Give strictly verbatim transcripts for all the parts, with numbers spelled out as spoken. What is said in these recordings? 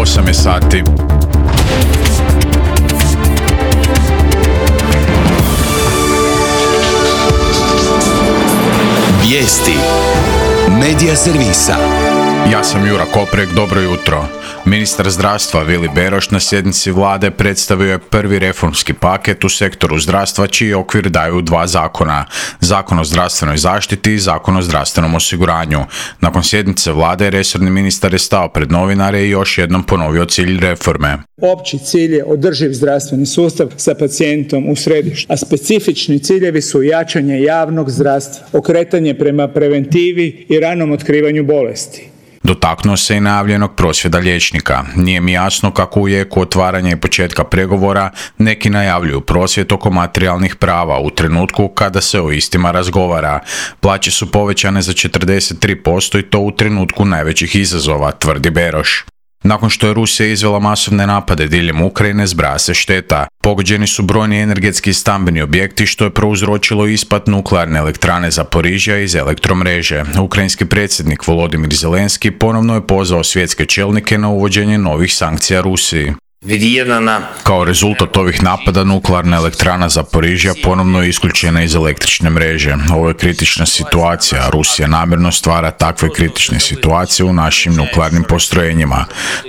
osam je sati. Vijesti Medija servisa. Ja sam Jura Koprek, dobro jutro. Ministar zdravstva Vili Beroš na sjednici vlade predstavio je prvi reformski paket u sektoru zdravstva čiji okvir daju dva zakona. Zakon o zdravstvenoj zaštiti i Zakon o zdravstvenom osiguranju. Nakon sjednice vlade resorni ministar je stao pred novinare i još jednom ponovio cilj reforme. Opći cilj je održiv zdravstveni sustav sa pacijentom u središtu, a specifični ciljevi su jačanje javnog zdravstva, okretanje prema preventivi i ranom otkrivanju bolesti. Dotaknuo se i najavljenog prosvjeda liječnika. Nije mi jasno kako u jeku otvaranja i početka pregovora neki najavljuju prosvjed oko materijalnih prava u trenutku kada se o istima razgovara. Plaće su povećane za četrdeset tri posto i to u trenutku najvećih izazova, tvrdi Beroš. Nakon što je Rusija izvela masovne napade diljem Ukrajine, zbraja se šteta. Pogođeni su brojni energetski i stambeni objekti što je prouzročilo ispad nuklearne elektrane Zaporižja iz elektromreže. Ukrajinski predsjednik Volodimir Zelenski ponovno je pozvao svjetske čelnike na uvođenje novih sankcija Rusiji. Kao rezultat ovih napada nuklearna elektrana Zaporižja ponovno je isključena iz električne mreže. Ovo je kritična situacija. Rusija namjerno stvara takve kritične situacije u našim nuklearnim postrojenjima.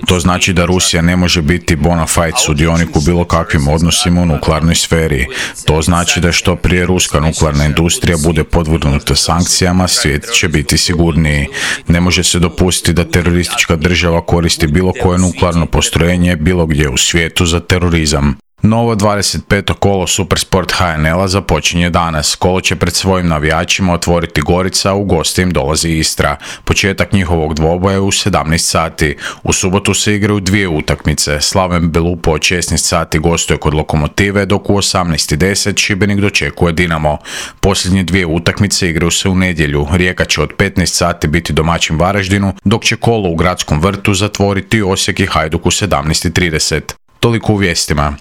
To znači da Rusija ne može biti bona fide sudionik u bilo kakvim odnosima u nuklearnoj sferi. To znači da što prije ruska nuklearna industrija bude podvrgnuta sankcijama, svijet će biti sigurniji. Ne može se dopustiti da teroristička država koristi bilo koje nuklearno postrojenje bilo gdje u svijetu za terorizam. Novo dvadeset peto kolo Supersport H N L-a započinje danas. Kolo će pred svojim navijačima otvoriti Gorica, a u goste im dolazi Istra. Početak njihovog dvoboja je u sedamnaest sati. U subotu se igraju dvije utakmice. Slaven Belupo od šesnaest sati gostuje kod Lokomotive, dok u osamnaest i deset Šibenik dočekuje Dinamo. Posljednje dvije utakmice igraju se u nedjelju. Rijeka će od petnaest sati biti domaćin Varaždinu, dok će kolo u Gradskom vrtu zatvoriti Osijek i Hajduk u sedamnaest i trideset. Toliko u vijestima.